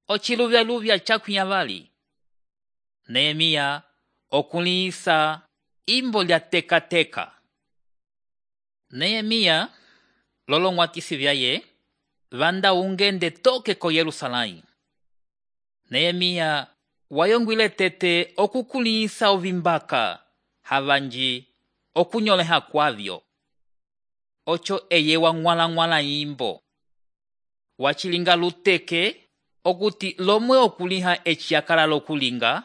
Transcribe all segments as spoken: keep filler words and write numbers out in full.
ociluvyaluvya cakwiyavali. Nehemiya okulĩhisa imbo lya teka-teka. Nehemiya lolong'watisi vyaye vanda ungende toke ko Yerusalãyi. Nehemiya wayongwile tete okukulĩhisa ovimbaka havanji okunyoleha kwavyo. Ocho eye wang'wala-ng'wala imbo. Wachilinga luteke okuti lomwe okuliha eciakala lokulinga,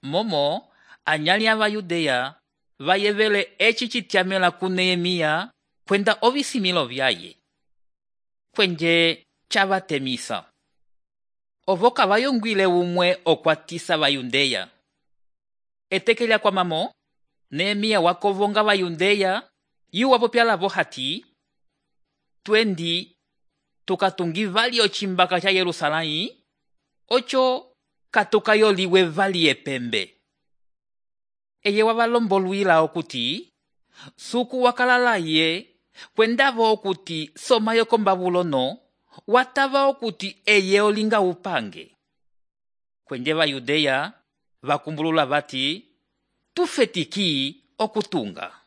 momo anyali ava Yudeya vayevele eci cityamela ku Nehemiya kwenda ovisimilo vyaye. Kwenje cavatemisa. Ovo kavayongwile umwe okwatisa vayundeya. Eteke lya kwamamo, Nehemiya wakovonga vayundeya yuwa popyalavo hati, twendi tukatungi vali ocimbaka ca Yerusalãyi, ocho katukayoliwe vali epembe. Eye wavalombolwila okuti, suku wakalalaye, kwendavo okuti soma yoko Babulono, watava okuti eye olinga upange. Kwenje Vayudeya vakumbulula vati, tufetiki okutunga.